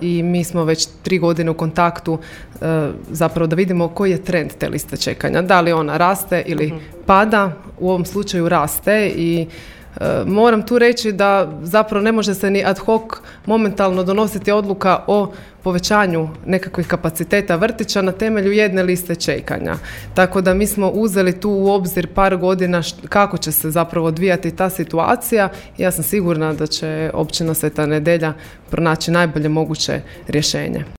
i mi smo već 3 godine u kontaktu zapravo da vidimo koji je trend te liste čekanja. Da li ona raste ili pada, u ovom slučaju raste i moram tu reći da zapravo ne može se ni ad hoc momentalno donositi odluka o povećanju nekakvih kapaciteta vrtića na temelju jedne liste čekanja. Tako da mi smo uzeli tu u obzir par godina kako će se zapravo odvijati ta situacija. Ja sam sigurna da će općina Sveta Nedelja pronaći najbolje moguće rješenje.